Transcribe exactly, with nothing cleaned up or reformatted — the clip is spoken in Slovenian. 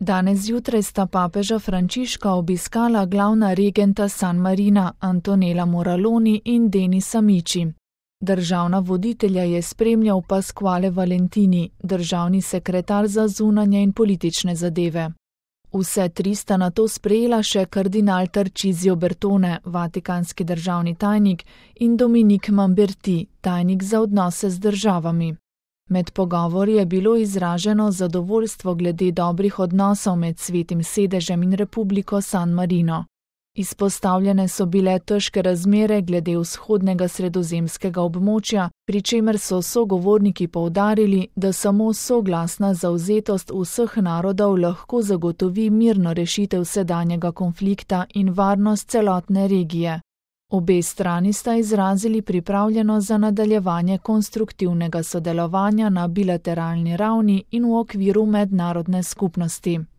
Danes zjutraj sta papeža Frančiška obiskala glavna regenta San Marina Antonella Moraloni in Denis Amici. Državna voditelja je spremljal Pasquale Valentini, državni sekretar za zunanje in politične zadeve. Vse tri sta nato sprejela še kardinal Tarcisio Bertone, vatikanski državni tajnik, in Dominik Mamberti, tajnik za odnose z državami. Med pogovori je bilo izraženo zadovoljstvo glede dobrih odnosov med Svetim sedežem in Republiko San Marino. Izpostavljene so bile težke razmere glede vzhodnega sredozemskega območja, pri čemer so sogovorniki poudarili, da samo soglasna zavzetost vseh narodov lahko zagotovi mirno rešitev sedanjega konflikta in varnost celotne regije. Obe strani sta izrazili pripravljenost za nadaljevanje konstruktivnega sodelovanja na bilateralni ravni in v okviru mednarodne skupnosti.